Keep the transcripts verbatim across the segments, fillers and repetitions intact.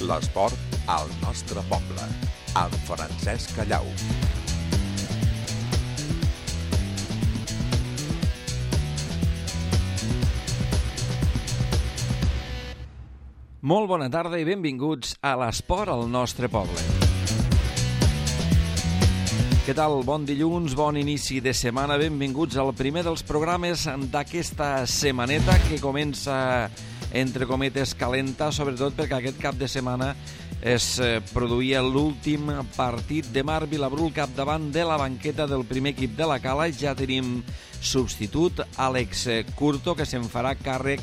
L'esport al nostre poble, amb Francesc Callau. Molt bona tarda i benvinguts a l'esport al nostre poble. Què tal? Bon dilluns, bon inici de setmana. Benvinguts al primer dels programes d'aquesta setmaneta que comença, entre cometes, calenta, sobretot perquè aquest cap de setmana es produïa l'últim partit de Marc Vilabrú al capdavant de la banqueta del primer equip de la Cala. Ja tenim substitut, Àlex Curto, que se'n farà càrrec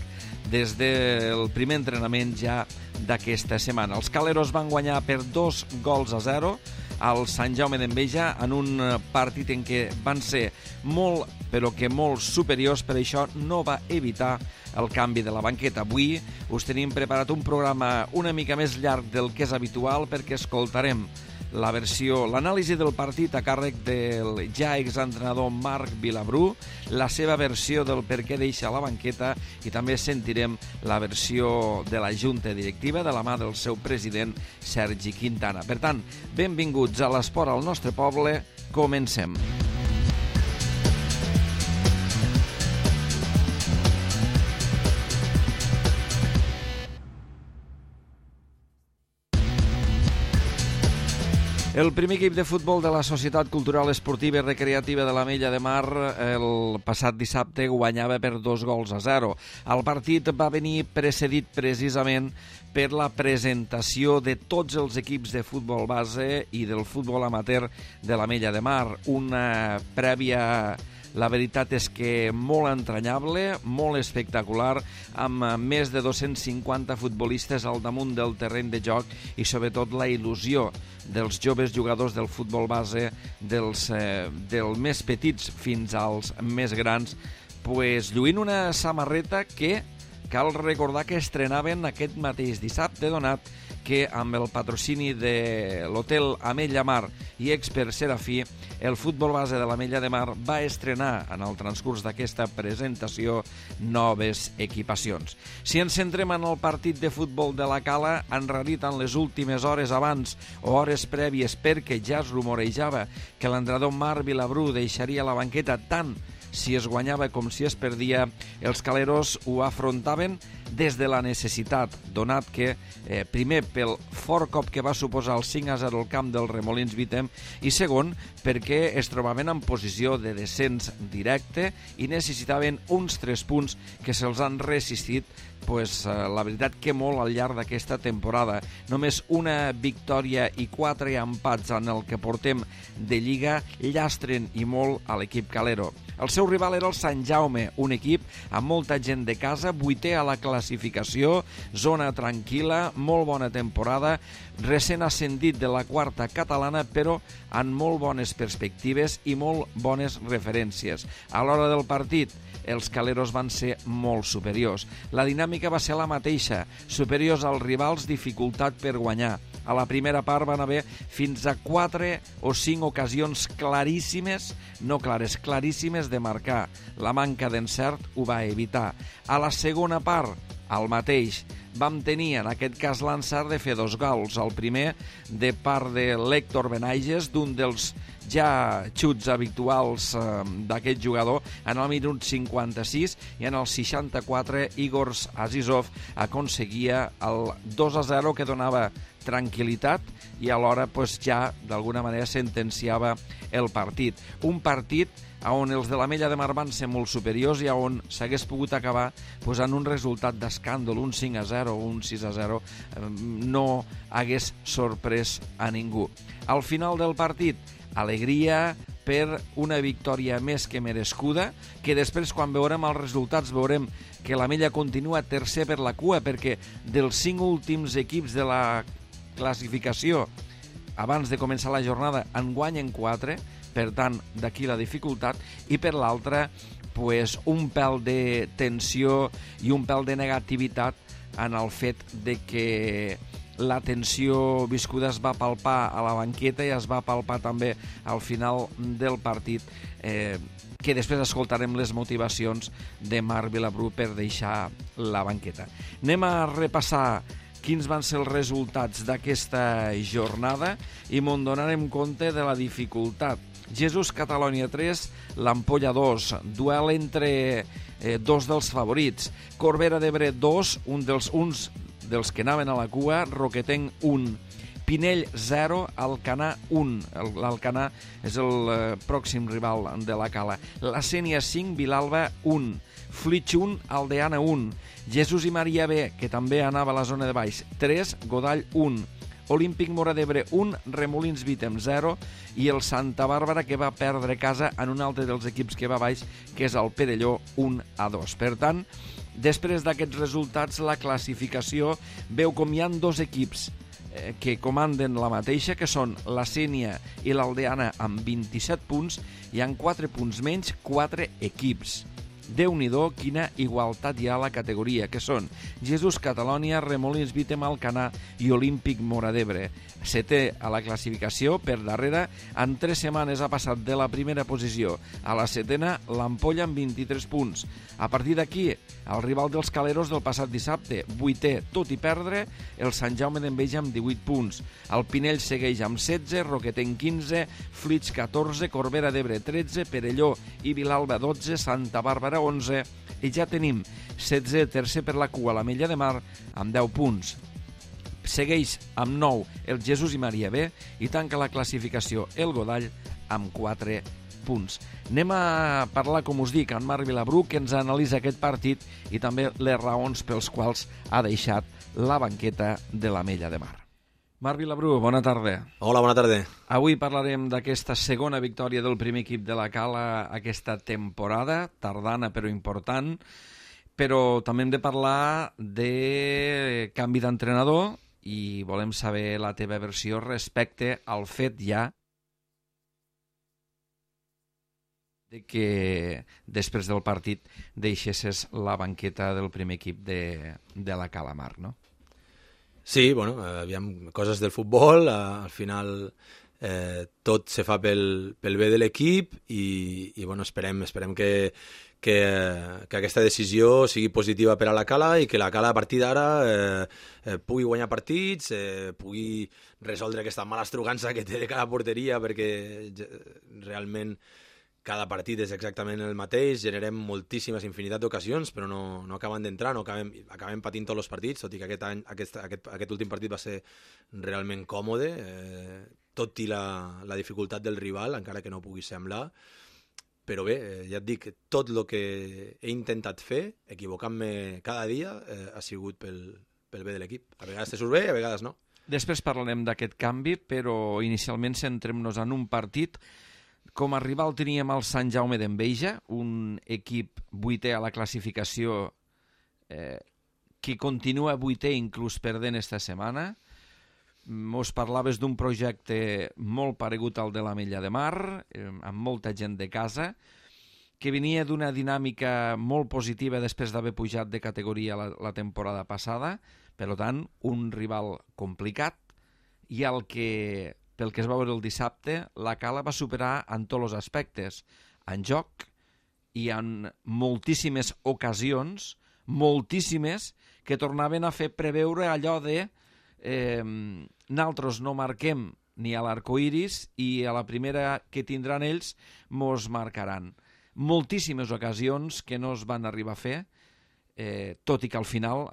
des del primer entrenament ja d'aquesta setmana. Els caleros van guanyar per dos gols a zero al Sant Jaume d'Enveja en un partit en què van ser molt, però que molt superiors, per això no va evitar el canvi de la banqueta. Avui us tenim preparat un programa una mica més llarg del que és habitual perquè escoltarem la versió, l'anàlisi del partit a càrrec del ja exentrenador Marc Vilabrú, la seva versió del per què deixa la banqueta i també sentirem la versió de la Junta Directiva de la mà del seu president Sergi Quintana. Per tant, benvinguts a l'esport al nostre poble, comencem. El primer equip de futbol de la Societat Cultural Esportiva i Recreativa de l'Ametlla de Mar el passat dissabte guanyava per dos gols a zero. El partit va venir precedit precisament per la presentació de tots els equips de futbol base i del futbol amateur de l'Ametlla de Mar. Una prèvia, la veritat és que molt entranyable, molt espectacular, amb més de dos-cents cinquanta futbolistes al damunt del terreny de joc i sobretot la il·lusió dels joves jugadors del futbol base, dels, eh, dels més petits fins als més grans, pues, lluint una samarreta que cal recordar que estrenaven aquest mateix dissabte, donat que amb el patrocini de l'hotel Ametlla Mar i Expert Serafí, el futbol base de l'Ametlla de Mar va estrenar en el transcurs d'aquesta presentació noves equipacions. Si ens centrem en el partit de futbol de la Cala, en realitat en les últimes hores abans o hores prèvies, perquè ja es rumorejava que l'entrenador Marc Vilabrú deixaria la banqueta tant si es guanyava com si es perdia, els caleros ho afrontaven des de la necessitat, donat que, eh, primer, pel fort cop que va suposar el cinc a zero al camp del Remolins Vitem, i segon, perquè es trobaven en posició de descens directe i necessitaven uns tres punts que se'ls han resistit, pues, eh, la veritat que molt al llarg d'aquesta temporada. Només una victòria i quatre empats en el que portem de Lliga llastren i molt a l'equip calero. El seu rival era el Sant Jaume, un equip amb molta gent de casa, vuitè a la classificació, zona tranquil·la, molt bona temporada, recent ascendit de la quarta catalana, però amb molt bones perspectives i molt bones referències. A l'hora del partit, els caleros van ser molt superiors. La dinàmica va ser la mateixa, superiors als rivals, dificultat per guanyar. A la primera part van haver fins a quatre o cinc ocasions claríssimes, no clares, claríssimes de marcar. La manca d'encert ho va evitar. A la segona part, el mateix. Vam tenir, en aquest cas, l'encert de fer dos gols. El primer, de part de l'Héctor Benaiges, d'un dels ja xuts habituals eh, d'aquest jugador, en el minut cinquanta-sis, i en el seixanta-quatre Igor Azizov aconseguia el dos a zero que donava tranquil·litat i alhora pues, ja d'alguna manera sentenciava el partit. Un partit on els de l'Ametlla de Mar van ser molt superiors i on s'hagués pogut acabar pues, en un resultat d'escàndol, un cinc a zero o un sis a zero, no hagués sorprès a ningú. Al final del partit, alegria per una victòria més que merescuda, que després, quan veurem els resultats, veurem que l'Ametlla continua tercer per la cua, perquè dels cinc últims equips de la classificació, abans de començar la jornada, en guanyen quatre, per tant, d'aquí la dificultat, i per l'altra, pues, un pèl de tensió i un pèl de negativitat en el fet de que la tensió viscuda es va palpar a la banqueta i es va palpar també al final del partit, eh, que després escoltarem les motivacions de Marc Vilabrú per deixar la banqueta. Anem a repassar quins van ser els resultats d'aquesta jornada i m'on donarem compte de la dificultat. Jesús Catalonia tres, l'Ampolla dos, duel entre eh, dos dels favorits. Corbera d'Ebre dos, un dels, uns dels que anaven a la cua, Roquetenc un. Pinell zero, Alcanar un. L'Alcanar és el eh, pròxim rival de la Cala. La Sénia cinc, Vilalba un. Flix un, Aldeana un. Jesús i Maria B, que també anava a la zona de baix, tres, Godall un. Olímpic Móra d'Ebre un, Remolins Vítem zero i el Santa Bàrbara, que va perdre casa en un altre dels equips que va baix, que és el Perelló un a dos. Per tant, després d'aquests resultats, la classificació veu com hi ha dos equips eh, que comanden la mateixa, que són la Sénia i l'Aldeana amb vint-i-set punts, hi han quatre punts menys, quatre equips. Déu-n'hi-do, quina igualtat hi ha a la categoria, que són Jesús Catalonia, Remolins Vítem, Alcanar i Olímpic Móra d'Ebre. Setè a la classificació, per darrere, en tres setmanes ha passat de la primera posició a la setena, l'Ampolla amb vint-i-tres punts. A partir d'aquí, el rival dels Caleros del passat dissabte, vuitè, tot i perdre, el Sant Jaume d'Enveja amb divuit punts. El Pinell segueix amb setze, Roquetenc quinze, Flix catorze, Corbera d'Ebre tretze, Perelló i Vilalba dotze, Santa Bàrbara onze, i ja tenim setze, tercer per la cua, l'Ametlla de Mar, amb deu punts. Segueix amb nou el Jesús i Maria B i tanca la classificació el Godall amb quatre punts. Anem a parlar, com us dic, amb Marc Vilabrú, que ens analitza aquest partit i també les raons pels quals ha deixat la banqueta de l'Ametlla de Mar. Marc Vilabrú, bona tarda. Hola, bona tarda. Avui parlarem d'aquesta segona victòria del primer equip de la Cala aquesta temporada, tardana però important, però també hem de parlar de canvi d'entrenador i volem saber la teva versió respecte al fet ja de que després del partit deixessis la banqueta del primer equip de, de la Cala, Marc, no? Sí, bueno, aviam, coses del futbol, al final eh, tot se fa pel, pel bé de l'equip i, i bueno, esperem, esperem que, que, que aquesta decisió sigui positiva per a la Cala i que la Cala a partir d'ara eh, eh, pugui guanyar partits, eh, pugui resoldre aquesta mala estrugança que té de cada porteria, perquè realment cada partit és exactament el mateix, generem moltíssimes infinitat d'ocasions, però no, no acaben d'entrar, no acabem, acabem patint tots els partits, tot i que aquest, any, aquest, aquest, aquest últim partit va ser realment còmode, eh, tot i la, la dificultat del rival, encara que no pugui semblar, però bé, eh, ja et dic, tot el que he intentat fer, equivocant-me cada dia, eh, ha sigut pel, pel bé de l'equip. A vegades te surt bé, a vegades no. Després parlarem d'aquest canvi, però inicialment centrem-nos en un partit. Com a rival teníem el Sant Jaume d'Enveja, un equip vuitè a la classificació eh, que continua vuitè inclús perdent esta setmana. Mos parlaves d'un projecte molt paregut al de l'Ametlla de Mar, eh, amb molta gent de casa, que venia d'una dinàmica molt positiva després d'haver pujat de categoria la, la temporada passada, per tant, un rival complicat, i el que... pel que es va veure el dissabte, la Cala va superar en tots els aspectes, en joc i en moltíssimes ocasions, moltíssimes, que tornaven a fer preveure allò de eh, nosaltres no marquem ni a l'arcoiris i a la primera que tindran ells mos marcaran. Moltíssimes ocasions que no es van arribar a fer, eh, tot i que al final,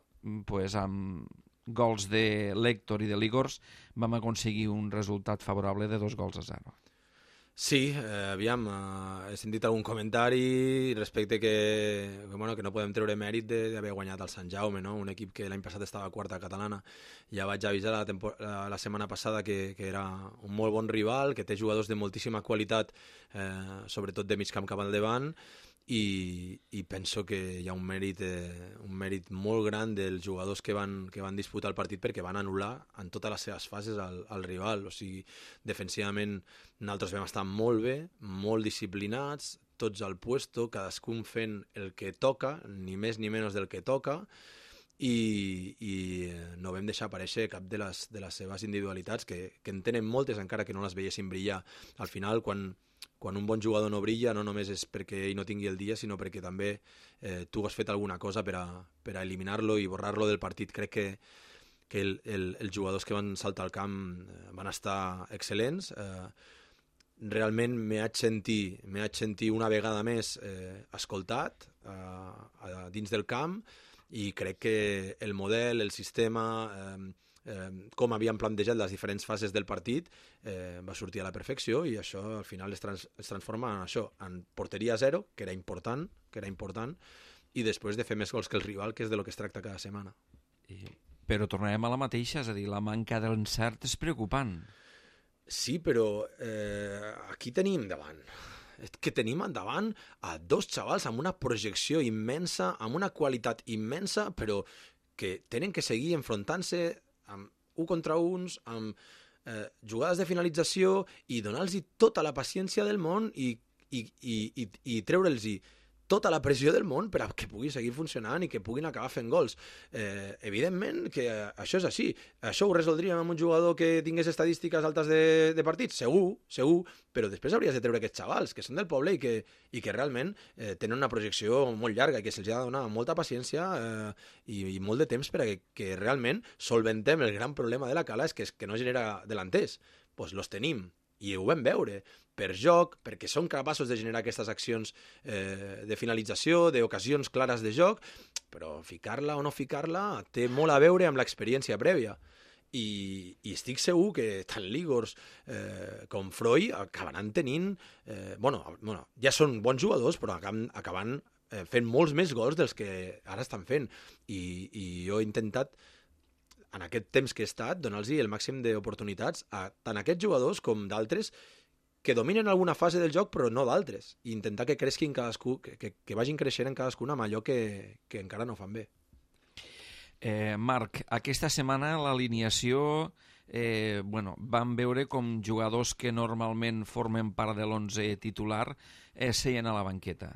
pues, amb gols de l'Héctor i de l'Igors, vam aconseguir un resultat favorable de dos gols a zero. Sí, eh, aviam, eh, he sentit algun comentari respecte que, que, bueno, que no podem treure mèrit d'haver guanyat el Sant Jaume, no? Un equip que l'any passat estava a quarta catalana. Ja vaig avisar la, la, la setmana passada que, que era un molt bon rival, que té jugadors de moltíssima qualitat, eh, sobretot de mig camp cap al davant, i, i penso que hi ha un mèrit, eh, un mèrit molt gran dels jugadors que van, que van disputar el partit, perquè van anul·lar en totes les seves fases al, al rival. O sigui, defensivament nosaltres vam estar molt bé, molt disciplinats, tots al puesto, cadascun fent el que toca, ni més ni menys del que toca, i, i no vam deixar aparèixer cap de les, de les seves individualitats, que, que en tenen moltes, encara que no les veiessin brillar. Al final, quan quan un bon jugador no brilla, no només és perquè ell no tingui el dia, sinó perquè també eh, tu has fet alguna cosa per a, per a eliminar-lo i borrar-lo del partit. Crec que, que el, el, els jugadors que van saltar al camp van estar excel·lents. Eh, realment m'he haig sentir, m'he haig sentir una vegada més eh, escoltat eh, dins del camp, i crec que el model, el sistema, eh, eh, com havíem plantejat les diferents fases del partit, eh, va sortir a la perfecció, i això al final es, trans, es transforma en això, en porteria zero, que era important, que era important, i després de fer més gols que el rival, que és de lo que es tracta cada setmana. I... Però tornarem a la mateixa, és a dir, la manca d'encert és preocupant. Sí, però eh, aquí tenim davant, que tenim endavant a dos xavals amb una projecció immensa, amb una qualitat immensa, però que tenen que seguir enfrontant-se amb un contra uns, amb eh, jugades de finalització, i donar-los tota la paciència del món i, i, i, i, i treure'ls tota la pressió del món per a que pugui seguir funcionant i que puguin acabar fent gols. Eh, evidentment que això és així. Això ho resoldríem amb un jugador que tingués estadístiques altes de, de partits? Segur, segur, però després hauries de treure aquests xavals, que són del poble i que, i que realment eh, tenen una projecció molt llarga i que se'ls ha de donar molta paciència eh, i, i molt de temps per a que, que realment solventem el gran problema de la Cala, és que, és que no genera delanters. Doncs pues los tenim, i ho vam veure, per joc, perquè són capaços de generar aquestes accions eh, de finalització, d'ocasions clares de joc, però ficar-la o no ficar-la té molt a veure amb l'experiència prèvia. I, i estic segur que tant Ligors eh, com Freud acabaran tenint... Eh, bueno, bueno, ja són bons jugadors, però acaben, acaben eh, fent molts més gols dels que ara estan fent. I, i jo he intentat, en aquest temps que he estat, donar-los el màxim d'oportunitats a tant aquests jugadors com d'altres que dominen alguna fase del joc, però no d'altres, i intentar que cresquin cadascú, que, que, que vagin creixent en cadascuna amb allò que, que encara no fan bé. Eh, Marc, aquesta setmana l'alineació, eh, bueno, vam veure com jugadors que normalment formen part de l'onze titular eh, seien a la banqueta.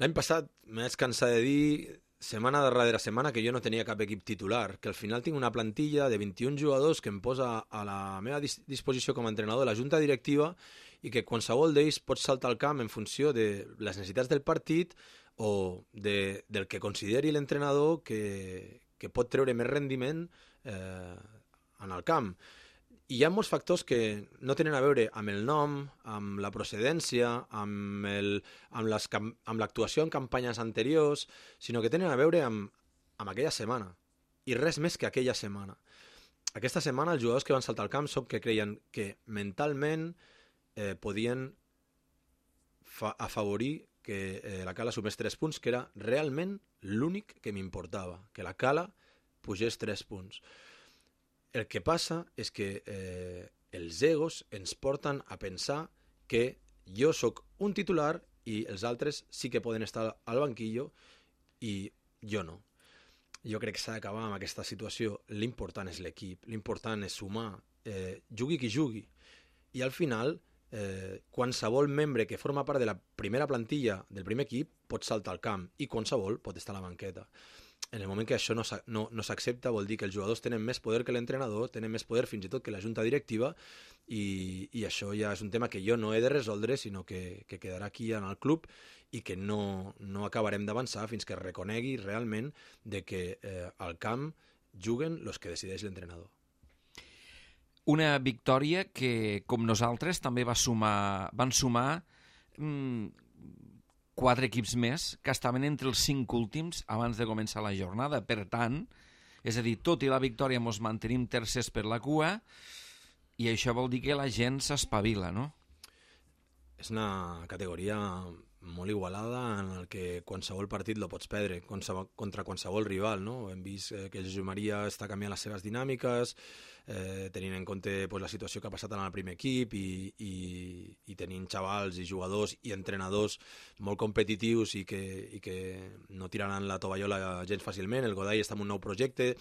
L'any passat m'he cansat de dir, setmana darrere setmana, que jo no tenia cap equip titular, que al final tinc una plantilla de vint-i-un jugadors que em posa a la meva dis disposició com a entrenador la junta directiva, i que qualsevol d'ells pot saltar al camp en funció de les necessitats del partit o de, del que consideri l'entrenador que, que pot treure més rendiment eh, en el camp. I hi ha molts factors que no tenen a veure amb el nom, amb la procedència, amb el, amb les, amb l'actuació en campanyes anteriors, sinó que tenen a veure amb, amb aquella setmana, i res més que aquella setmana. Aquesta setmana els jugadors que van saltar al camp són que creien que mentalment eh, podien afavorir que eh, la Cala sumés tres punts, que era realment l'únic que m'importava, que la Cala pugés tres punts. El que passa és que eh, els egos ens porten a pensar que jo sóc un titular i els altres sí que poden estar al banquillo i jo no. Jo crec que s'ha d'acabar amb aquesta situació. L'important és l'equip, l'important és sumar, eh, jugui qui jugui. I al final, eh, qualsevol membre que forma part de la primera plantilla del primer equip pot saltar al camp i qualsevol pot estar a la banqueta. En el moment que això no, no, no s'accepta, vol dir que els jugadors tenen més poder que l'entrenador, tenen més poder fins i tot que la junta directiva, i, i això ja és un tema que jo no he de resoldre, sinó que, que quedarà aquí en el club i que no, no acabarem d'avançar fins que es reconegui realment de que eh, al camp juguen els que decideix l'entrenador. Una victòria que, com nosaltres, també va sumar, van sumar mmm, quatre equips més que estaven entre els cinc últims abans de començar la jornada. Per tant, és a dir, tot i la victòria ens mantenim tercers per la cua, i això vol dir que la gent s'espavila, no? És una categoria molt igualada en el que qualsevol partit lo pots perdre contra qualsevol rival, no? Hem vist que el Jesús Maria està canviant les seves dinàmiques, eh, tenint en compte pues, la situació que ha passat en el primer equip i, i, i tenint xavals i jugadors i entrenadors molt competitius i que, i que no tiraran la tovallola gens fàcilment. El Godall està en un nou projecte,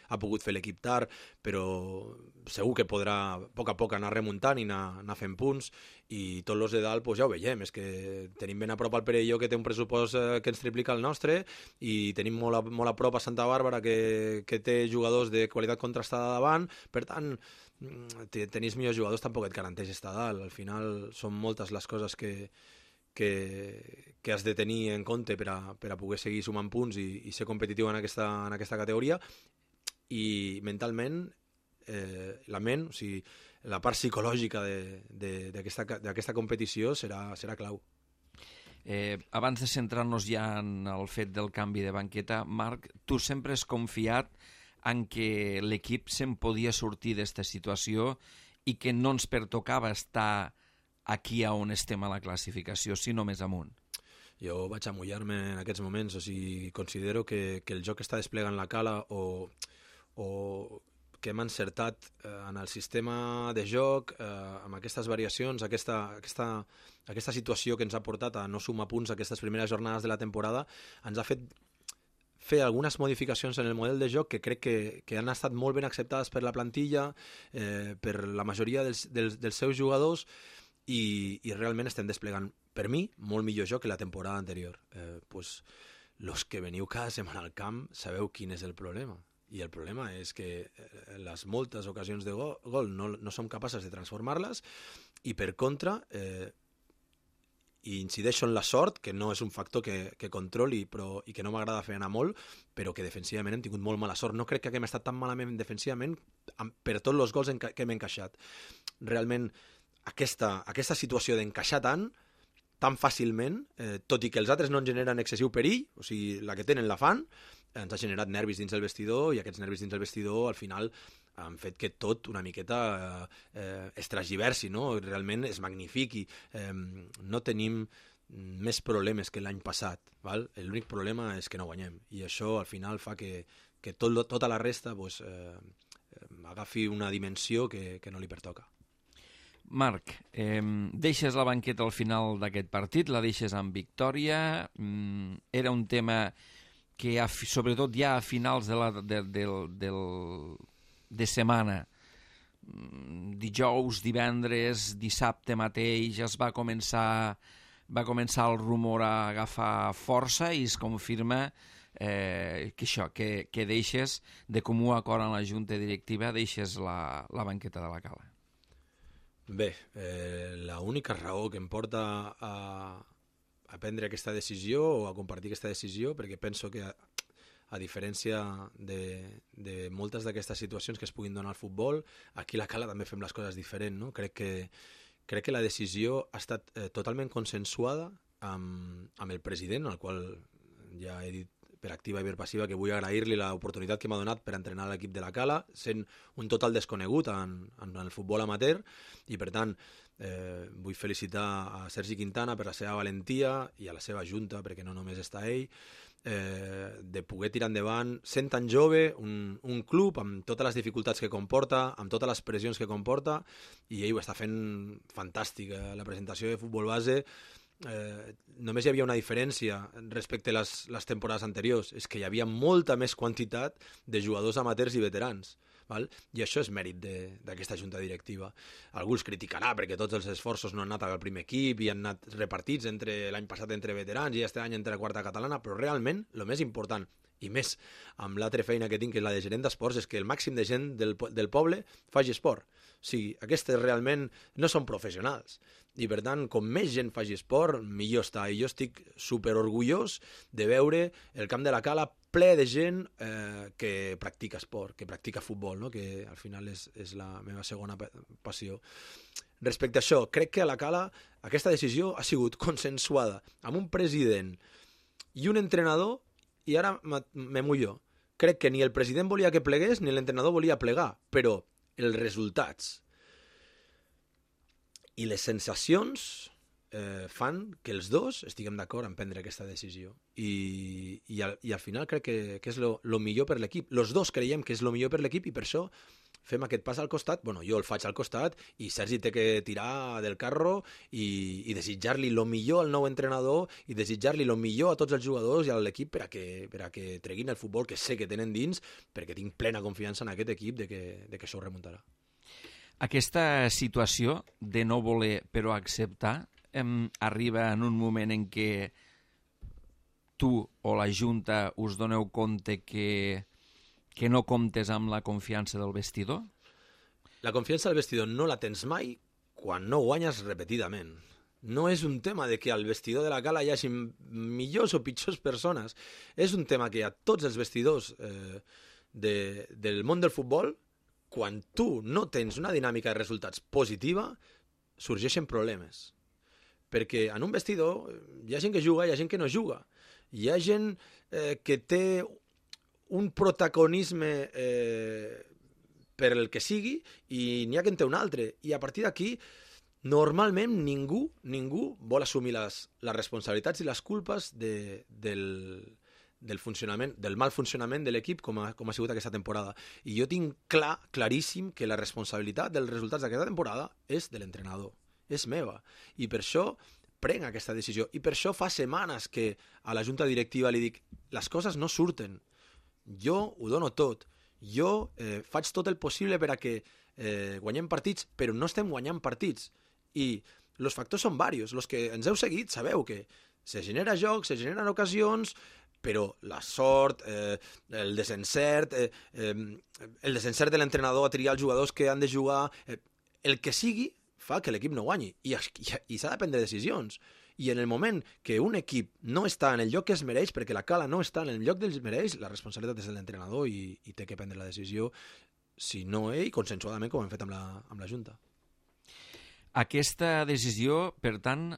ha pogut fer l'equip tard, però segur que podrà a poc a poc anar remuntant i anar, anar fent punts, i tots els de dalt pues, ja ho veiem, és que tenim ben a prop al Perelló, que té un pressupost eh, que ens triplica el nostre, i tenim molt a, molt a prop a Santa Bàrbara, que, que té jugadors de qualitat contrastada davant. Per tant, tenir millors jugadors tampoc et garanteix estar dalt. Al final són moltes les coses que, que, que has de tenir en compte per a, per a poder seguir sumant punts i, i ser competitiu en aquesta, en aquesta categoria. i mentalment eh, la ment, o sigui, la part psicològica d'aquesta competició serà, serà clau. Eh, abans de centrar-nos ja en el fet del canvi de banqueta, Marc, tu sempre has confiat en que l'equip se'n podia sortir d'esta situació i que no ens pertocava estar aquí on estem a la classificació, sinó més amunt. Jo vaig amullar-me en aquests moments, o sigui, considero que, que el joc que està desplegant la Cala o, o que hem encertat eh, en el sistema de joc, eh, amb aquestes variacions, aquesta, aquesta, aquesta situació que ens ha portat a no sumar punts aquestes primeres jornades de la temporada, ens ha fet fer algunes modificacions en el model de joc que crec que, que han estat molt ben acceptades per la plantilla, eh, per la majoria dels, dels, dels seus jugadors, i, i realment estem desplegant, per mi, molt millor joc que la temporada anterior. Eh, pues, los que veniu cada setmana al camp sabeu quin és el problema. I el problema és que les moltes ocasions de gol, gol no, no som capaces de transformar-les, i per contra eh, i incideixo en la sort, que no és un factor que, que controli però, i que no m'agrada fer anar molt, però que defensivament hem tingut molt mala sort. No crec que haguem estat tan malament defensivament per tots els gols que hem encaixat. Realment, aquesta, aquesta situació d'encaixar tant, tan fàcilment, eh, tot i que els altres no en generen excessiu perill, o sigui, la que tenen la fan, ens ha generat nervis dins el vestidor, i aquests nervis dins el vestidor al final han fet que tot una miqueta eh, es transgiversi, no? Realment es magnifiqui. Eh, no tenim més problemes que l'any passat, val? L'únic problema és que no guanyem, i això al final fa que, que tot, tota la resta pues, eh, agafi una dimensió que, que no li pertoca. Marc, eh, deixes la banqueta al final d'aquest partit, la deixes amb victòria, mm, era un tema que a, sobretot ja a finals de, la, de, de, de, de setmana, dijous, divendres, dissabte mateix, es va començar, va començar el rumor a agafar força i es confirma eh, que això, que, que deixes de comú acord en la junta directiva, deixes la, la banqueta de la Cala. Bé, eh, l'única raó que em porta a, a prendre aquesta decisió o a compartir aquesta decisió, perquè penso que a, a diferència de, de moltes d'aquestes situacions que es puguin donar al futbol, aquí a la Cala també fem les coses diferent, no? Crec que, crec que la decisió ha estat eh, totalment consensuada amb, amb el president, al qual ja he dit per activa i per passiva que vull agrair-li l'oportunitat que m'ha donat per entrenar l'equip de la Cala, sent un total desconegut en, en el futbol amateur, i per tant eh, vull felicitar a Sergi Quintana per la seva valentia i a la seva junta, perquè no només està ell, eh, de poder tirar endavant, sent tan jove, un, un club amb totes les dificultats que comporta, amb totes les pressions que comporta, i ell ho està fent fantàstic. La presentació de futbol base, Eh, només hi havia una diferència respecte a les, les temporades anteriors, és que hi havia molta més quantitat de jugadors amateurs i veterans, val? I això és mèrit d'aquesta junta directiva. Algú els criticarà perquè tots els esforços no han anat al primer equip i han anat repartits entre l'any passat entre veterans i aquest any entre la quarta catalana, però realment el més important, i més amb l'altra feina que tinc, que és la de gerent d'esports, és que el màxim de gent del, del poble faci esport. O sigui, aquestes realment no són professionals, i per tant, com més gent faci esport, millor està. I jo estic super orgullós de veure el camp de la Cala ple de gent eh, que practica esport, que practica futbol, no? Que al final és, és la meva segona passió. Respecte a això, crec que a la Cala aquesta decisió ha sigut consensuada amb un president i un entrenador, i ara me mullo. Crec que ni el president volia que plegués ni l'entrenador volia plegar, però els resultats i les sensacions eh, fan que els dos estiguem d'acord en prendre aquesta decisió. I, i, al, i al final crec que, que és lo, lo millor per l'equip. Els dos creiem que és lo millor per l'equip, i per això fem aquest pas al costat. Bueno, jo el faig al costat i Sergi té que tirar del carro i, i desitjar-li lo millor al nou entrenador i desitjar-li lo millor a tots els jugadors i a l'equip per a que, per a que treguin el futbol que sé que tenen dins, perquè tinc plena confiança en aquest equip de que, de que això ho remuntarà. Aquesta situació de no voler però acceptar em, arriba en un moment en què tu o la Junta us doneu compte que, que no comptes amb la confiança del vestidor? La confiança del vestidor no la tens mai quan no guanyes repetidament. No és un tema de que al vestidor de la Cala hi hagi millors o pitjors persones. És un tema que a tots els vestidors eh, de, del món del futbol, quan tu no tens una dinàmica de resultats positiva, sorgeixen problemes. Perquè en un vestidor hi ha gent que juga, hi ha gent que no juga. Hi ha gent eh, que té un protagonisme eh, per el que sigui i n'hi ha que en té un altre. I a partir d'aquí, normalment ningú ningú vol assumir les, les responsabilitats i les culpes de, del, del, funcionament, del mal funcionament de l'equip com ha, com ha sigut aquesta temporada. I jo tinc clar, claríssim, que la responsabilitat dels resultats d'aquesta temporada és de l'entrenador, és meva. I per això prenc aquesta decisió. I per això fa setmanes que a la junta directiva li dic les coses no surten. Jo ho dono tot. Jo eh, faig tot el possible per a que eh, guanyem partits, però no estem guanyant partits. I els factors són diversos. Els que ens heu seguit sabeu que se genera joc, se generen ocasions, però la sort, eh, el desencert, eh, eh, el desencert de l'entrenador a triar els jugadors que han de jugar, eh, el que sigui, fa que l'equip no guanyi. I, i, i s'ha de prendre decisions. I en el moment que un equip no està en el lloc que es mereix, perquè la Cala no està en el lloc que es mereix, la responsabilitat és de l'entrenador i, i té que prendre la decisió, si no ell, consensuadament, com hem fet amb la, amb la Junta. Aquesta decisió, per tant,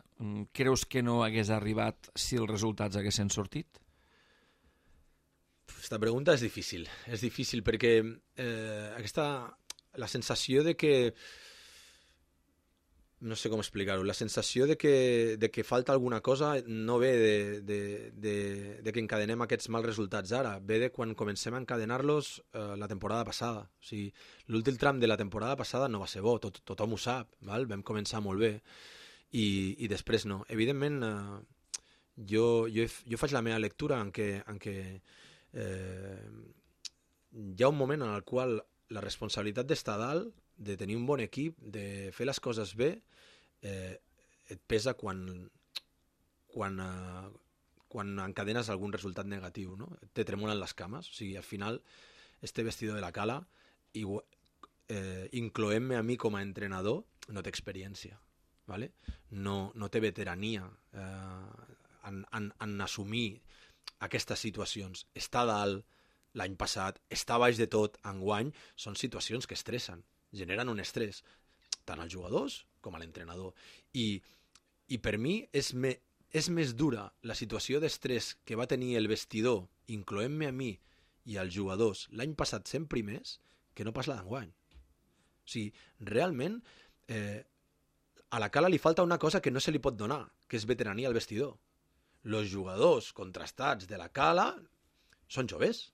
creus que no hagués arribat si els resultats haguessin sortit? Aquesta pregunta és difícil. És difícil perquè eh, aquesta, la sensació de que no sé com explicar-ho, la sensació de que, de que falta alguna cosa no ve de, de, de, de que encadenem aquests mals resultats ara, ve de quan comencem a encadenar-los eh, la temporada passada. O sigui, l'últim tram de la temporada passada no va ser bo, tot, tothom ho sap, val? Vam començar molt bé i, i després no. Evidentment, eh, jo, jo, jo faig la meva lectura en què, en què eh, hi ha un moment en el qual la responsabilitat d'estar dalt, de tenir un bon equip, de fer les coses bé, eh, et pesa quan, quan, eh, quan encadenes algun resultat negatiu, no? Te tremolen les cames. O sigui, al final, este vestidor de la Cala, i, eh, incloent-me a mi com a entrenador, no té experiència, ¿vale? No, no té veterania eh, en, en, en assumir aquestes situacions. Està dalt l'any passat, està baix de tot enguany, són situacions que estressen, generen un estrès, tant als jugadors com a l'entrenador. I, i per mi és, me, és més dura la situació d'estrès que va tenir el vestidor, incloent-me a mi i als jugadors, l'any passat sent primers, que no pas la d'enguany. O sigui, realment, eh, a la Cala li falta una cosa que no se li pot donar, que és veterania al vestidor. Els jugadors contrastats de la Cala són joves.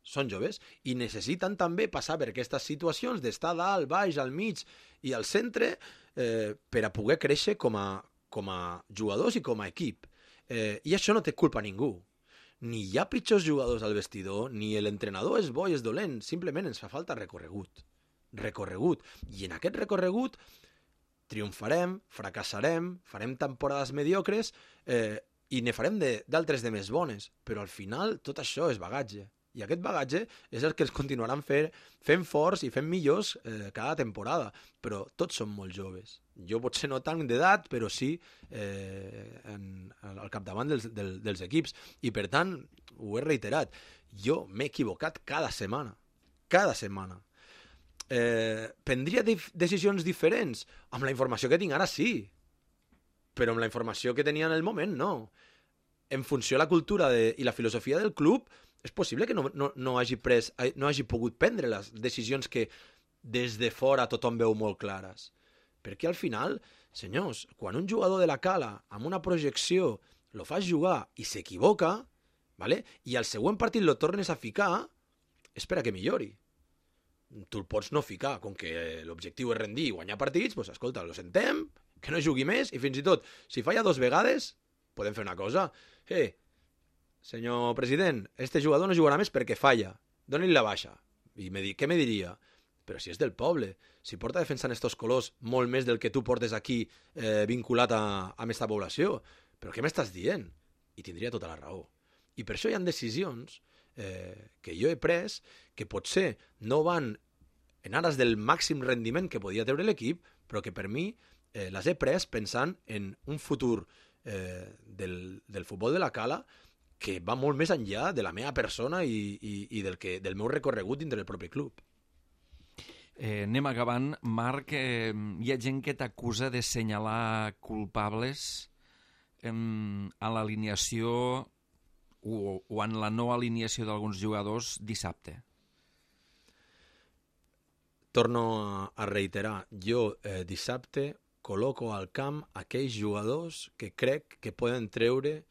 Són joves i necessiten també passar per aquestes situacions d'estar dalt, baix, al mig i al centre eh, per a poder créixer com a, com a jugadors i com a equip. Eh, I això no té culpa a ningú. Ni hi ha pitjors jugadors al vestidor, ni l'entrenador és bo i és dolent, simplement ens fa falta recorregut. Recorregut. I en aquest recorregut triomfarem, fracassarem, farem temporades mediocres eh, i ne farem d'altres de, de més bones, però al final tot això és bagatge. I aquest bagatge és el que ens continuaran fer, fent forts i fent millors eh, cada temporada. Però tots som molt joves. Jo potser no tant d'edat, però sí eh, en, al capdavant dels, del, dels equips. I per tant, ho he reiterat, jo m'he equivocat cada setmana. Cada setmana. Eh, prendria dif- decisions diferents? Amb la informació que tinc ara sí. Però amb la informació que tenia en el moment no. En funció de la cultura de, i la filosofia del club, és possible que no, no, no, hagi pres, no hagi pogut prendre les decisions que des de fora tothom veu molt clares. Perquè al final, senyors, quan un jugador de la Cala amb una projecció lo fas jugar i s'equivoca, ¿vale? I al següent partit lo tornes a ficar, és per a que millori. Tu el pots no ficar, com que l'objectiu és rendir i guanyar partits, doncs escolta, lo sentem, que no jugui més, i fins i tot, si falla dos vegades, podem fer una cosa. Eh, senyor president, este jugador no jugarà més perquè falla. Doni-li la baixa. I me di, què me diria? Però si és del poble, si porta defensant estos colors molt més del que tu portes aquí eh, vinculat a, a aquesta població, però què m'estàs dient? I tindria tota la raó. I per això hi ha decisions eh, que jo he pres que potser no van en ares del màxim rendiment que podia treure l'equip, però que per mi eh, les he pres pensant en un futur eh, del, del futbol de la Cala que va molt més enllà de la meva persona i, i, i del, que, del meu recorregut dintre del propi club. Eh, anem acabant. Marc, eh, hi ha gent que t'acusa de senyalar culpables eh, en l'alineació o, o en la no alineació d'alguns jugadors dissabte. Torno a, a reiterar, jo eh, dissabte col·loco al camp aquells jugadors que crec que poden treure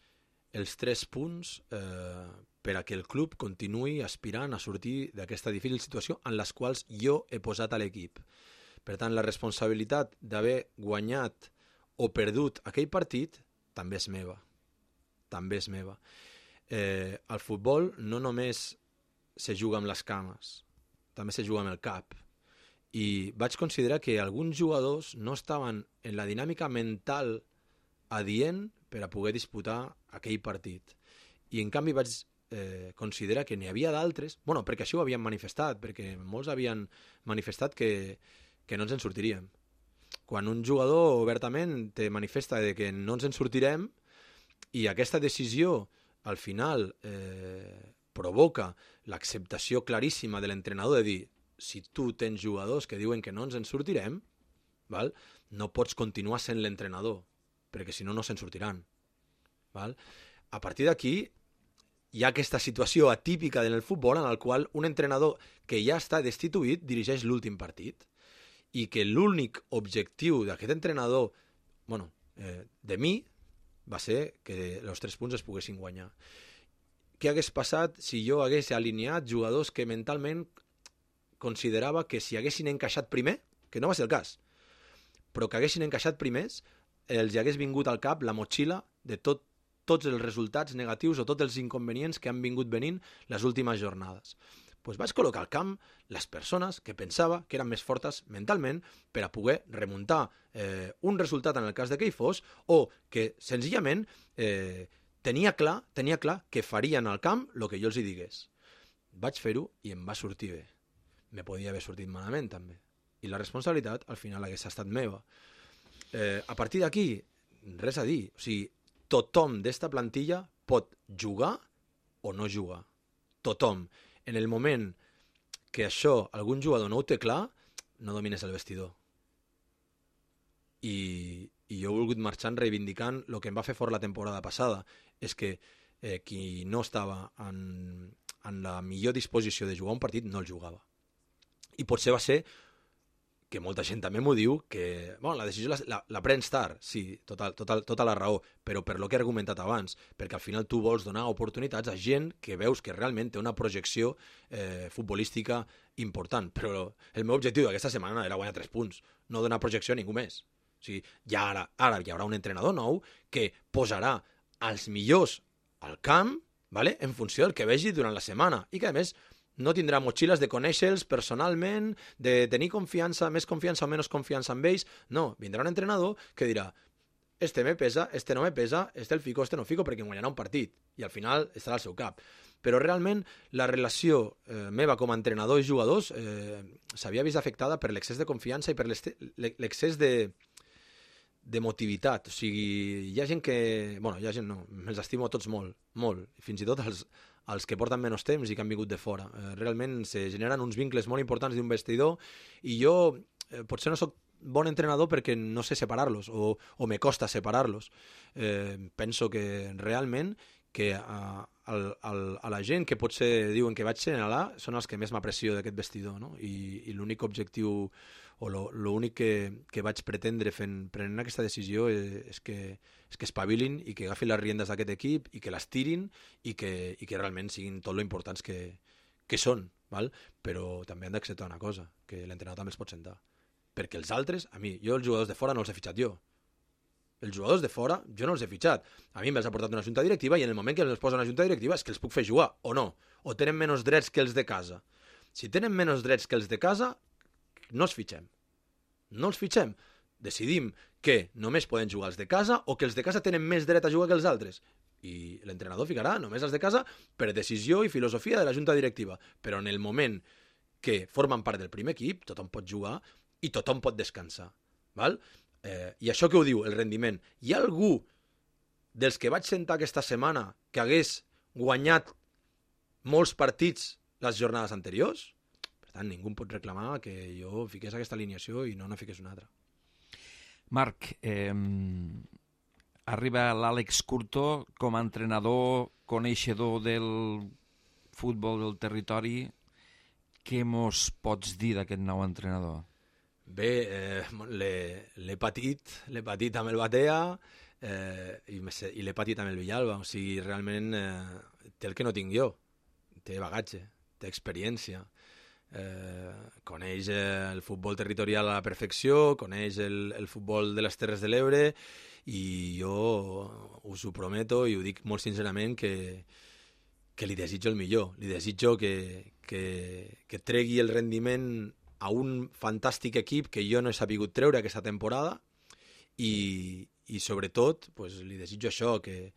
els tres punts eh, per a que el club continuï aspirant a sortir d'aquesta difícil situació en les quals jo he posat a l'equip. Per tant, la responsabilitat d'haver guanyat o perdut aquell partit també és meva. També és meva. Eh, el futbol no només se juga amb les cames, també se juga amb el cap. I vaig considerar que alguns jugadors no estaven en la dinàmica mental adient per a poder disputar aquell partit. I en canvi vaig eh, considerar que n'hi havia d'altres, bueno, perquè així ho havien manifestat, perquè molts havien manifestat que, que no ens en sortiríem. Quan un jugador obertament te manifesta de que no ens en sortirem i aquesta decisió al final eh, provoca l'acceptació claríssima de l'entrenador de dir si tu tens jugadors que diuen que no ens en sortirem, val? No pots continuar sent l'entrenador, perquè si no, no se'n sortiran. Val? A partir d'aquí hi ha aquesta situació atípica en el futbol en el qual un entrenador que ja està destituït dirigeix l'últim partit i que l'únic objectiu d'aquest entrenador, bueno, eh, de mi, va ser que els tres punts es poguessin guanyar. Què hagués passat si jo hagués alineat jugadors que mentalment considerava que si haguessin encaixat primer, que no va ser el cas, però que haguessin encaixat primers, els hagués vingut al cap la motxilla de tot, tots els resultats negatius o tots els inconvenients que han vingut venint les últimes jornades. Pues vaig col·locar al camp les persones que pensava que eren més fortes mentalment per a poder remuntar eh, un resultat en el cas de que hi fos o que senzillament eh, tenia clar, tenia clar que farien al camp el que jo els hi digués. Vaig fer-ho i em va sortir bé. Me podia haver sortit malament també. I la responsabilitat al final hagués estat meva. Eh, a partir d'aquí, res a dir. O sigui, tothom d'esta plantilla pot jugar o no jugar. Tothom. En el moment que això algun jugador no ho té clar, no domines el vestidor. I, i jo he volgut marxar reivindicant el que em va fer fort la temporada passada. És que eh, qui no estava en, en la millor disposició de jugar un partit no el jugava. I potser va ser que molta gent també m'ho diu, que bueno, la decisió la, la, la prens tard, sí, tota, tota, tota la raó, però per lo que he argumentat abans, perquè al final tu vols donar oportunitats a gent que veus que realment té una projecció eh, futbolística important, però el meu objectiu d'aquesta setmana era guanyar tres punts, no donar projecció a ningú més. O sigui, ja ara, ara hi haurà un entrenador nou que posarà els millors al camp, vale? En funció del que vegi durant la setmana, i que a més no tindrà motxilles de conèixer-los personalment, de tenir confiança, més confiança o menys confiança amb ells. No, vindrà un entrenador que dirà este me pesa, este no me pesa, este el fico, este no fico, perquè em guanyarà un partit. I al final estarà al seu cap. Però realment la relació eh, meva com a entrenador i jugadors eh, s'havia vist afectada per l'excés de confiança i per l'excés de, de motivitat. O sigui, hi ha gent que... Bueno, hi ha gent no, me'ls estimo tots molt, molt. Fins i tot els... els que porten menys temps i que han vingut de fora. Eh, realment se generen uns vincles molt importants d'un vestidor i jo eh, potser no sóc bon entrenador perquè no sé separar-los o, o me costa separar-los. Eh, penso que realment que a, a, a la gent que potser diuen que vaig senyalar són els que més m'aprecio d'aquest vestidor, no? I, i l'únic objectiu o l'únic que, que vaig pretendre fent, prenent aquesta decisió és, és, que, és que espavilin i que agafin les riendes d'aquest equip i que les tirin i que, i que realment siguin tot lo importants que, que són, val? Però també han d'acceptar una cosa, que l'entrenador també els pot sentar. Perquè els altres, a mi, jo els jugadors de fora no els he fitxat jo. Els jugadors de fora jo no els he fitxat. A mi me'ls ha portat una junta directiva i en el moment que els posa una junta directiva és que els puc fer jugar, o no. O tenen menys drets que els de casa. Si tenen menys drets que els de casa, no els fitxem. No els fitxem. Decidim que només poden jugar els de casa o que els de casa tenen més dret a jugar que els altres. I l'entrenador ficarà només els de casa per decisió i filosofia de la junta directiva. Però en el moment que formen part del primer equip, tothom pot jugar i tothom pot descansar. Val? Eh, I això que ho diu, el rendiment. Hi ha algú dels que vaig sentar aquesta setmana que hagués guanyat molts partits les jornades anteriors. Per tant, ningú em pot reclamar que jo fiqués aquesta alineació i no no fiqués una altra. Marc, eh, arriba l'Àlex Curto com a entrenador, coneixedor del futbol del territori. Què mos pots dir d'aquest nou entrenador? Bé, eh, l'he patit, l'he patit amb el Batea eh, i, i l'he patit amb el Villalba. O sigui, realment eh, té el que no tinc jo. Té bagatge, té experiència. Eh, coneix el futbol territorial a la perfecció, coneix el, el futbol de les Terres de l'Ebre i jo us ho prometo i ho dic molt sincerament que, que li desitjo el millor. Li desitjo que, que, que tregui el rendiment a un fantàstic equip que jo no he sapigut treure aquesta temporada i, i sobretot pues, li desitjo això, que,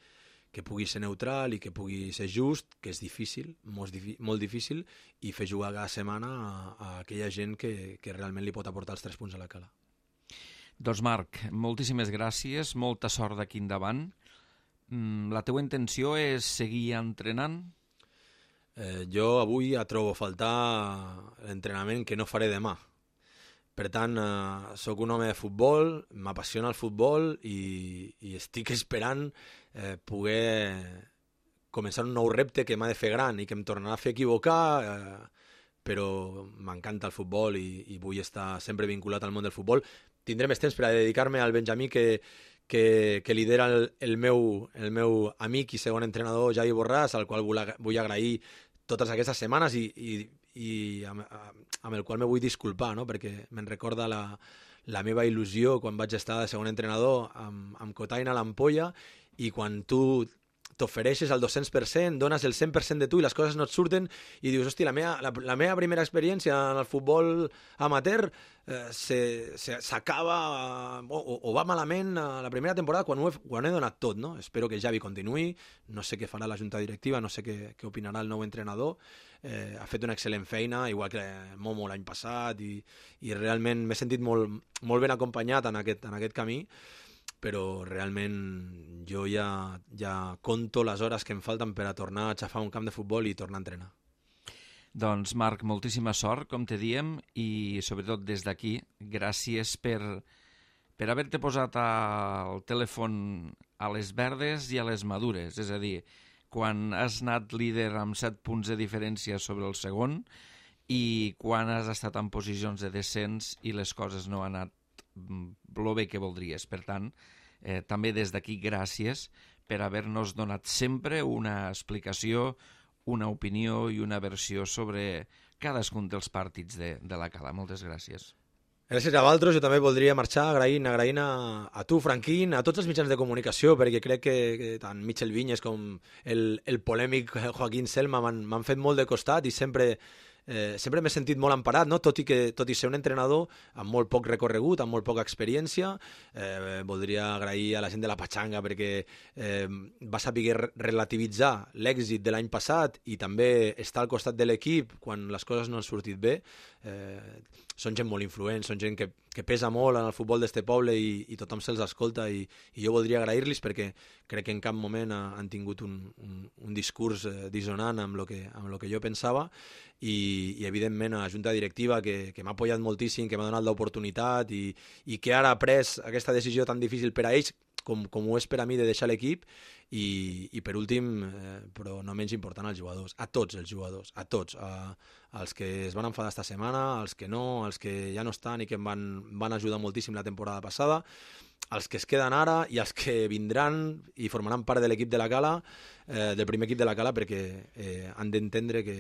que pugui ser neutral i que pugui ser just, que és difícil, molt, molt difícil, i fer jugar cada setmana a, a aquella gent que, que realment li pot aportar els tres punts a la cala. Doncs Marc, moltíssimes gràcies, molta sort d'aquí endavant. La teua intenció és seguir entrenant? Eh, jo avui trobo a faltar l'entrenament que no faré demà. Per tant, eh, sóc un home de futbol, m'apassiona el futbol i, i estic esperant eh, poder començar un nou repte que m'ha de fer gran i que em tornarà a fer equivocar, eh, però m'encanta el futbol i, i vull estar sempre vinculat al món del futbol. Tindré més temps per a dedicar-me al Benjamí que, que, que lidera el, el, meu, el meu amic i segon entrenador Javi Borràs, al qual vull, vull agrair totes aquestes setmanes i, i, i amb, amb el qual me vull disculpar, no? Perquè me'n recorda la, la meva il·lusió quan vaig estar de segon entrenador amb, amb Cotaina a l'Ampolla i quan tu t'ofereixes al dos-cents per cent, dones el cent per cent de tu i les coses no et surten i dius, hosti, la meva, la, la meva primera experiència en el futbol amateur eh, s'acaba o, o va malament a la primera temporada quan ho, he, quan ho he donat tot, no? Espero que Javi continuï, no sé què farà la junta directiva, no sé què, què opinarà el nou entrenador, eh, ha fet una excel·lent feina, igual que Momo l'any passat i, i realment m'he sentit molt, molt ben acompanyat en aquest, en aquest camí, però realment jo ja, ja conto les hores que em falten per a tornar a xafar un camp de futbol i tornar a entrenar. Doncs Marc, moltíssima sort, com te diem, i sobretot des d'aquí, gràcies per, per haver-te posat al telèfon a les verdes i a les madures, és a dir, quan has anat líder amb set punts de diferència sobre el segon i quan has estat en posicions de descens i les coses no han anat el bé que voldries. Per tant, eh, també des d'aquí gràcies per haver-nos donat sempre una explicació, una opinió i una versió sobre cadascun dels partits de, de la Cala. Moltes gràcies. Gràcies a vosaltres. Jo també voldria marxar agraint, agraint a, a tu, Franquín, a tots els mitjans de comunicació, perquè crec que, que tant Michel Vinyes com el, el polèmic Joaquín Selma m'han fet molt de costat i sempre... Eh, sempre m'he sentit molt emparat, no? tot, i que, tot i ser un entrenador amb molt poc recorregut, amb molt poca experiència. Eh, voldria agrair a la gent de la Pachanga perquè eh, va saber relativitzar l'èxit de l'any passat i també estar al costat de l'equip quan les coses no han sortit bé. Eh, són gent molt influent, són gent que, que pesa molt en el futbol d'este poble i, i tothom se'ls escolta i, i jo voldria agrair-los perquè crec que en cap moment ha, han tingut un, un, un discurs eh, dissonant amb el que, amb lo que jo pensava i, i evidentment a la junta directiva que, que m'ha apoyat moltíssim, que m'ha donat l'oportunitat i, i que ara ha pres aquesta decisió tan difícil per a ells com, com ho és per a mi de deixar l'equip i, i per últim, eh, però no menys important, als jugadors, a tots els jugadors, a tots, a, als que es van enfadar esta setmana, als que no, als que ja no estan i que em van, van ajudar moltíssim la temporada passada, als que es queden ara i als que vindran i formaran part de l'equip de la Cala, eh, del primer equip de la Cala, perquè eh, han d'entendre que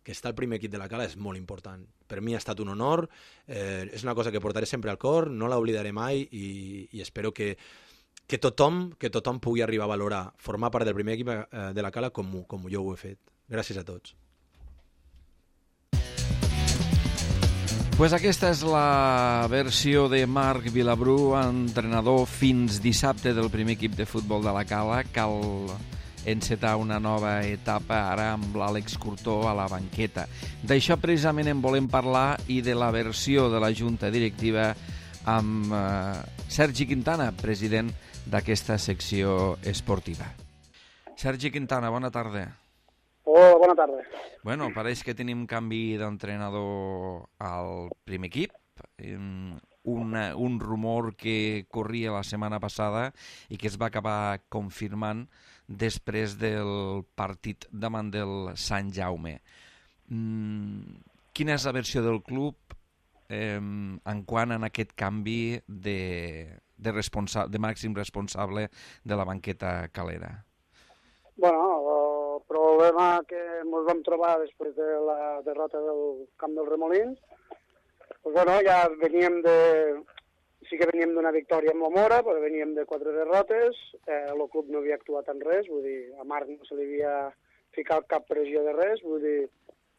que estar al primer equip de la Cala és molt important. Per mi ha estat un honor, eh, és una cosa que portaré sempre al cor, no l'oblidaré mai i, i espero que, que, tothom, que tothom pugui arribar a valorar formar part del primer equip eh, de la Cala com, com jo ho he fet. Gràcies a tots. Pues aquesta és la versió de Marc Vilabrú, entrenador fins dissabte del primer equip de futbol de la Cala. Cal encetar una nova etapa ara amb l'Àlex Curto a la banqueta. D'això precisament en volem parlar i de la versió de la junta directiva amb eh, Sergi Quintana, president d'aquesta secció esportiva. Sergi Quintana, bona tarda. Hola, bona tarda. Bueno, pareix que tenim canvi d'entrenador al primer equip. Un, un rumor que corria la setmana passada i que es va acabar confirmant després del partit davant del Sant Jaume. Mm, quina és la versió del club eh, en quant a aquest canvi de, de, responsa- de màxim responsable de la banqueta calera? Bueno, el problema que ens vam trobar després de la derrota del camp dels Remolins, pues bueno, ja veníem de... Sí que veníem d'una victòria amb la Mora, però veníem de quatre derrotes, eh, el club no havia actuat en res, vull dir, a Marc no se li havia ficat cap pressió de res, vull dir,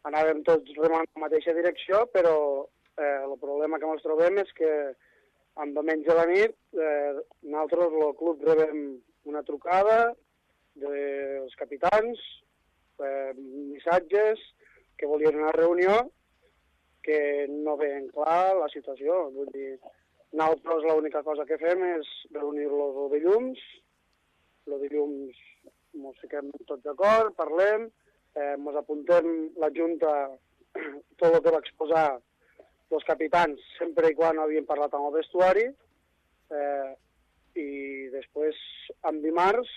anàvem tots remant en la mateixa direcció, però eh, el problema que ens trobem és que en diumenge a la nit eh, nosaltres, el club, rebem una trucada dels capitans, eh, missatges que volien una reunió que no veien clar la situació. Vull dir, nosaltres l'única cosa que fem és reunir-los el dilluns, el dilluns ens fiquem tots d'acord, parlem, eh, ens apuntem la Junta tot el que va exposar els capitans sempre i quan havien parlat amb el vestuari, eh, i després, en dimarts,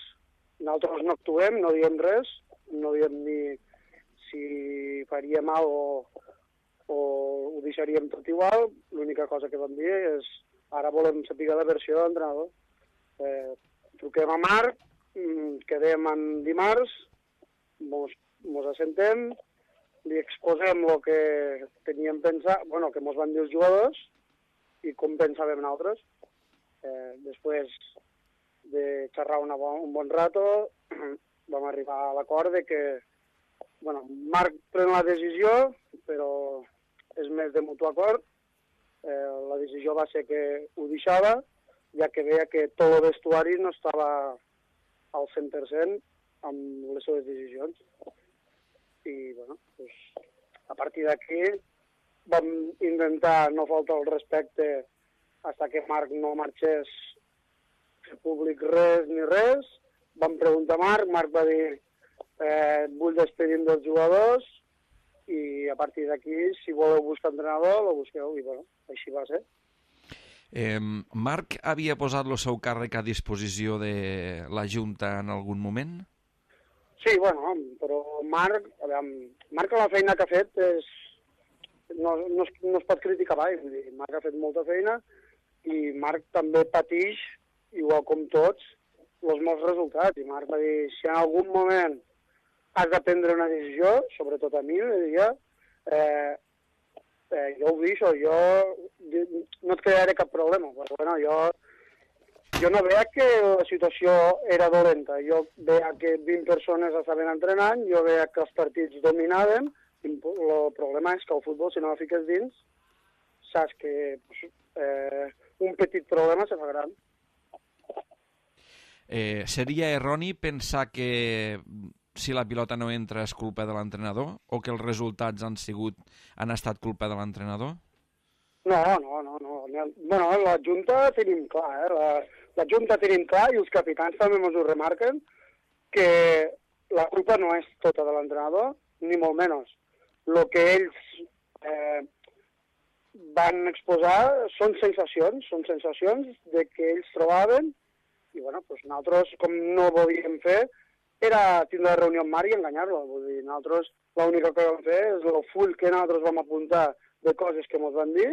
nosaltres no actuem, no diem res, no diem ni si faria mal o, o ho deixaríem tot igual. L'única cosa que vam dir és ara volem saber la versió de l'entrenador. Eh, truquem a Marc, quedem en dimarts, mos, mos assentem, li exposem el que teníem pensat, bueno, que mos van dir els jugadors i com pensàvem nosaltres. Eh, després de xerrar una bon, un bon rato, vam arribar a l'acord de que, bueno, Marc pren la decisió, però és més de mutu acord. Eh, la decisió va ser que ho deixava, ja que veia que tot el vestuari no estava al cent per cent amb les seves decisions. I, bueno, pues, a partir d'aquí vam intentar no faltar el respecte fins que Marc no marxés fer públic res ni res. Vam preguntar a Marc, Marc va dir eh, vull despedir dels jugadors i a partir d'aquí, si voleu buscar entrenador, lo busqueu, i bueno, així va ser. Eh, Marc havia posat el seu càrrec a disposició de la Junta en algun moment? Sí, bueno, però Marc, a veure, Marc la feina que ha fet és, no, no, es, no es pot criticar mai. Marc ha fet molta feina i Marc també patix, igual com tots, els meus resultats. I Marc va dir, si en algun moment has de prendre una decisió, sobretot a mi, li diria, eh, eh, jo ho deixo, jo no et crearé cap problema, però bueno, jo, jo no veia que la situació era dolenta, jo veia que vint persones estaven entrenant, jo veia que els partits dominaven, i el problema és que el futbol, si no la fiques dins, saps que eh, un petit problema se fa gran. Eh, seria erroni pensar que si la pilota no entra és culpa de l'entrenador o que els resultats han sigut han estat culpa de l'entrenador? No, no, no. no. Bueno, la Junta tenim clar, eh? La, la Junta tenim clar i els capitans també ens ho remarquen que la culpa no és tota de l'entrenador, ni molt menys. El que ells eh, van exposar són sensacions, són sensacions de que ells trobaven i bueno, doncs nosaltres, com no ho volíem fer, era tindre la reunió amb Marc i enganyar-lo. Vull dir, nosaltres l'única que vam fer és el full que nosaltres vam apuntar de coses que ens van dir,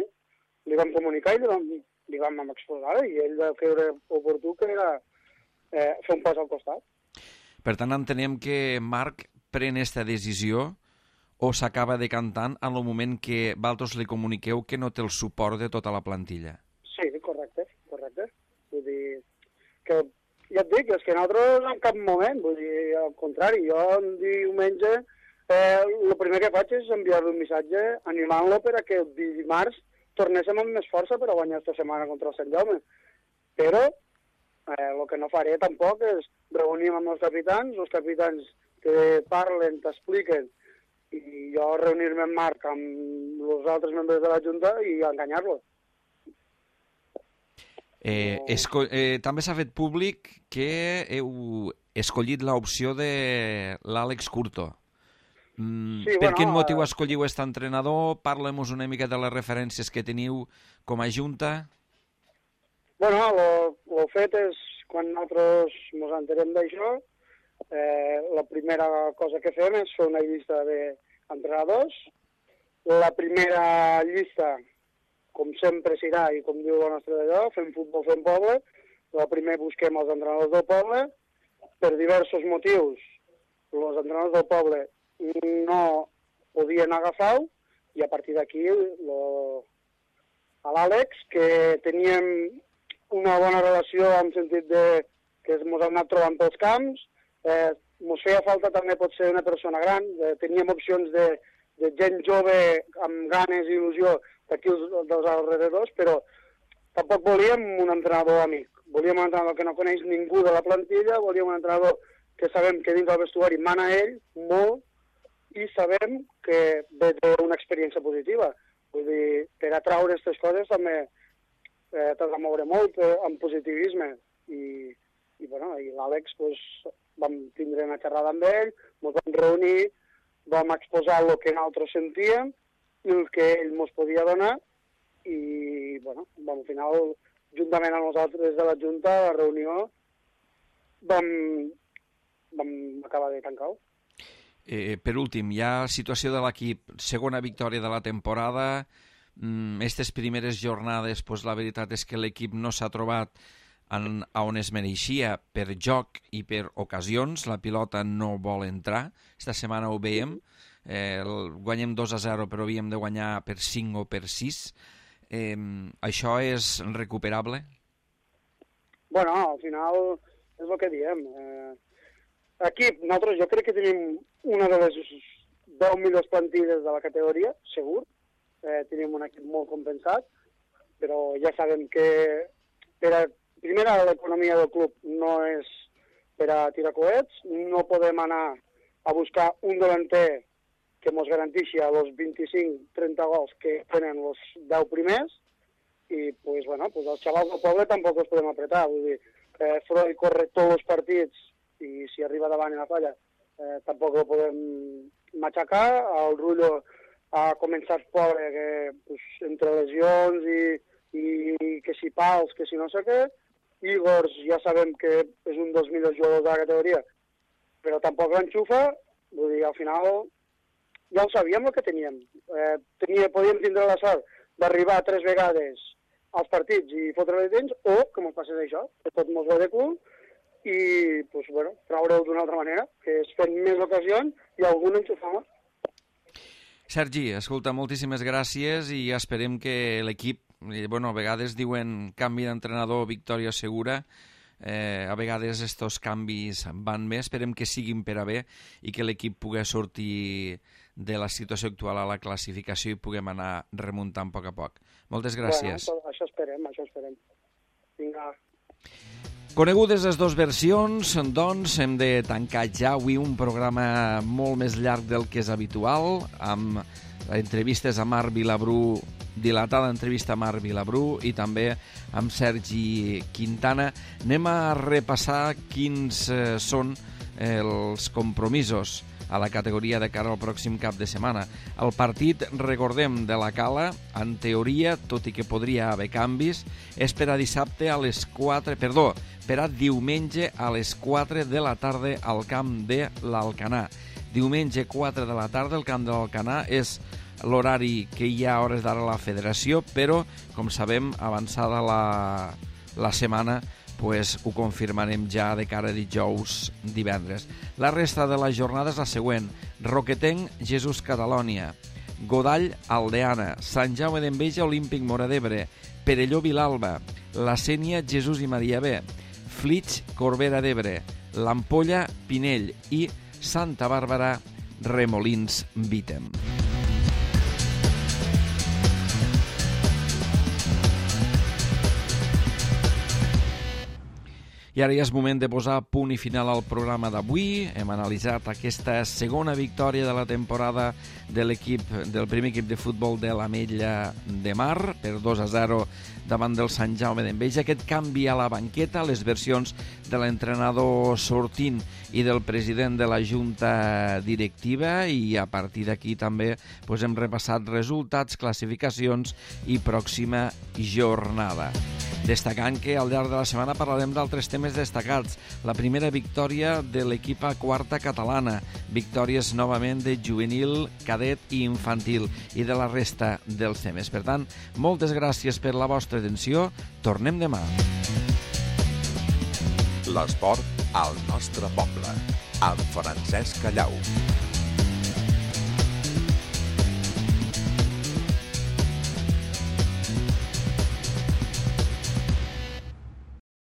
li vam comunicar i li vam, li vam exposar i ell va creure oportú que era eh, fer un pas al costat. Per tant, entenem que Marc pren aquesta decisió o s'acaba decantant en el moment que vosaltres li comuniqueu que no té el suport de tota la plantilla. Sí, correcte, correcte. Vull dir, que ja et dic, és que nosaltres en cap moment, vull dir, al contrari, jo un diumenge eh, el primer que faig és enviar-li un missatge animant-lo per a que el dimarts tornéssim amb més força per a guanyar aquesta setmana contra el Sant Jaume. Però eh, el que no faré tampoc és reunir amb els capitans, els capitans que parlen, t'expliquen, i jo reunir-me amb Marc, amb els altres membres de la Junta i enganyar-lo. Eh, esco- eh, també s'ha fet públic que heu escollit l'opció de l'Àlex Curto. Mm, Sí, per bueno, quin motiu eh, escolliu aquest entrenador? Parlem-nos una mica de les referències que teniu com a junta. Bueno, el fet és, quan nosaltres ens enterem d'això, eh, la primera cosa que fem és fer una llista d'entrenadors. La primera llista, com sempre serà, i com diu la nostra d'allò, fem futbol, fem poble. La primer busquem els entrenadors del poble. Per diversos motius, els entrenadors del poble no podien agafar-ho, i a partir d'aquí l'Àlex, que teníem una bona relació en sentit de que ens hem anat trobant pels camps, eh, ens feia falta també potser una persona gran, eh, teníem opcions de, de gent jove amb ganes i il·lusió d'aquí dels alrededors, però tampoc volíem un entrenador amic, volíem un entrenador que no coneix ningú de la plantilla, volíem un entrenador que sabem que dins del vestuari mana ell molt i sabem que ve d'una experiència positiva. Vull dir, per atraure aquestes coses també eh, t'has de moure molt eh, amb positivisme. I, i, bueno, i l'Àlex pues, vam tindre una xerrada amb ell, ens vam reunir, vam exposar el que nosaltres sentíem i el que ell ens podia donar i, bueno, vam, al final, juntament amb nosaltres de la Junta, a la reunió, vam, vam acabar de tancar-ho. Eh, per últim, hi ha situació de l'equip, segona victòria de la temporada. Aquestes mm, primeres jornades, pues, la veritat és que l'equip no s'ha trobat en, on es mereixia per joc i per ocasions. La pilota no vol entrar. Esta setmana ho veiem. Eh, el, guanyem dos a zero, però havíem de guanyar per cinc o per sis. Eh, això és recuperable? Bueno, al final és el que diem. Eh, aquí, nosaltres jo crec que tenim una de les deu millors plantilles de la categoria, segur. Eh, tenim un equip molt compensat, però ja sabem que per a, primera l'economia del club no és per a tirar coets, no podem anar a buscar un delanter que ens garanteixi els vint-i-cinc trenta gols que tenen els deu primers, i pues, bueno, pues els xavals del poble tampoc els podem apretar. Vull dir, eh, Freud corre tots els partits i si arriba davant i la falla eh, tampoc el podem matxacar. El Rullo ha començat pobre, que, pues, entre lesions i, i que si pals, que si no sé què. Igor ja sabem que és un dels millors jugadors de la categoria, però tampoc l'enxufa. Vull dir, al final ja ho sabíem el que teníem. Eh, tenia, podíem tindre la sort d'arribar tres vegades als partits i fotre-li dins, o que ens passés això, que tot mos va de cul, i pues, bueno, traure-ho d'una altra manera, que és fent més ocasions i algun enxufar. Sergi, escolta, moltíssimes gràcies i esperem que l'equip, bueno, a vegades diuen canvi d'entrenador, victòria segura, eh, a vegades estos canvis van bé, esperem que siguin per a bé i que l'equip pugui sortir de la situació actual a la classificació i puguem anar remuntant a poc a poc. Moltes gràcies. Bueno, això esperem, això esperem. Vinga. Conegudes les dues versions, doncs hem de tancar ja avui un programa molt més llarg del que és habitual, amb entrevistes a Marc Vilabrú, dilatada entrevista a Marc Vilabrú i també amb Sergi Quintana. Anem a repassar quins eh, són els compromisos a la categoria de cara al pròxim cap de setmana. El partit, recordem, de la Cala, en teoria, tot i que podria haver canvis, és per a dissabte a les quatre, perdó, per a diumenge a les quatre de la tarda al camp de l'Alcanar. Diumenge quatre de la tarda al camp de l'Alcanar és l'horari que hi ha a hores d'ara a la federació, però, com sabem, avançada la, la setmana, pues ho confirmarem ja de cara a dijous, divendres. La resta de la jornada és la següent. Roquetenc, Jesús Catalònia. Godall, Aldeana. Sant Jaume d'Enveja, Olímpic Móra d'Ebre. Perelló, Vilalba. La Sénia, Jesús i Maria B. Flix, Corbera d'Ebre. L'Ampolla, Pinell. I Santa Bàrbara, Remolins, Vítem. I ara ja és moment de posar punt i final al programa d'avui. Hem analitzat aquesta segona victòria de la temporada de l'equip del primer equip de futbol de l'Ametlla de Mar per dos a zero davant del Sant Jaume d'Enveja. Aquest canvi a la banqueta, les versions de l'entrenador sortint i del president de la Junta Directiva, i a partir d'aquí també doncs, hem repassat resultats, classificacions i pròxima jornada. Destacant que al llarg de la setmana parlarem d'altres temes destacats. La primera victòria de l'equip a quarta catalana, victòries novament de juvenil, cadet i infantil, i de la resta dels temes. Per tant, moltes gràcies per la vostra atenció. Tornem demà. L'esport al nostre poble, amb Francesc Callau.